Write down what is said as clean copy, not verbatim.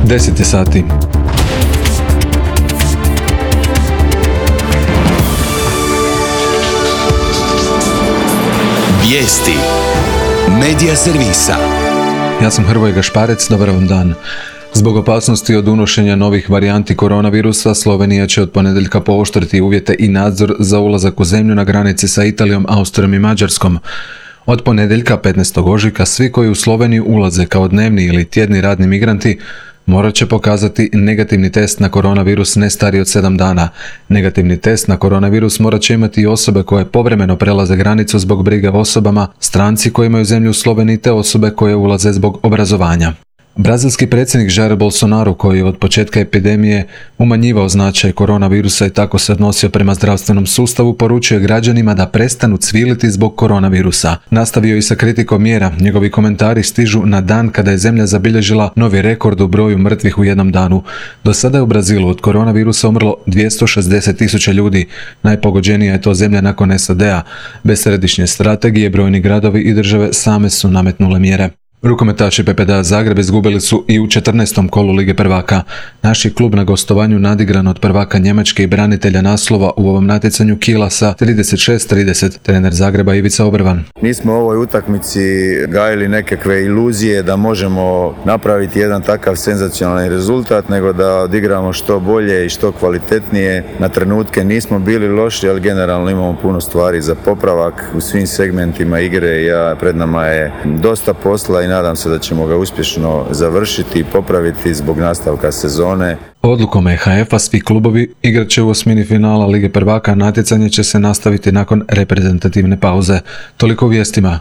10 sati. Vijesti Medija servisa. Ja sam Hrvoje Gašparec, dobar vam dan. Zbog opasnosti od unošenja novih varijanti koronavirusa, Slovenija će od ponedjeljka pooštriti uvjete i nadzor za ulazak u zemlju na granici sa Italijom, Austrijom i Mađarskom. Od ponedjeljka 15. ožujka svi koji u Sloveniju ulaze kao dnevni ili tjedni radni migranti morat će pokazati negativni test na koronavirus ne stariji od 7 dana. Negativni test na koronavirus morat će imati i osobe koje povremeno prelaze granicu zbog brige o osobama, stranci koji imaju zemlju u Sloveniji te osobe koje ulaze zbog obrazovanja. Brazilski predsjednik Jair Bolsonaro, koji je od početka epidemije umanjivao značaj koronavirusa i tako se odnosio prema zdravstvenom sustavu, poručuje građanima da prestanu cviliti zbog koronavirusa. Nastavio i sa kritikom mjera. Njegovi komentari stižu na dan kada je zemlja zabilježila novi rekord u broju mrtvih u jednom danu. Do sada je u Brazilu od koronavirusa umrlo 260.000 ljudi. Najpogođenija je to zemlja nakon SAD-a. Bez središnje strategije brojni gradovi i države same su nametnule mjere. Rukometaši PPD Zagreb izgubili su i u 14. kolu Lige prvaka. Naš je klub na gostovanju nadigran od prvaka Njemačke i branitelja naslova u ovom natjecanju Kiela sa 36-30. Trener Zagreba Ivica Obrvan. Nismo u ovoj utakmici gajili nekakve iluzije da možemo napraviti jedan takav senzacionalni rezultat, nego da odigramo što bolje i što kvalitetnije. Na trenutke nismo bili loši, ali generalno imamo puno stvari za popravak u svim segmentima igre. Pred nama je dosta posla i nadam se da ćemo ga uspješno završiti i popraviti zbog nastavka sezone. Odlukom EHF-a svi klubovi igrat će u osmini finala Lige prvaka, natjecanje će se nastaviti nakon reprezentativne pauze. Toliko u vijestima.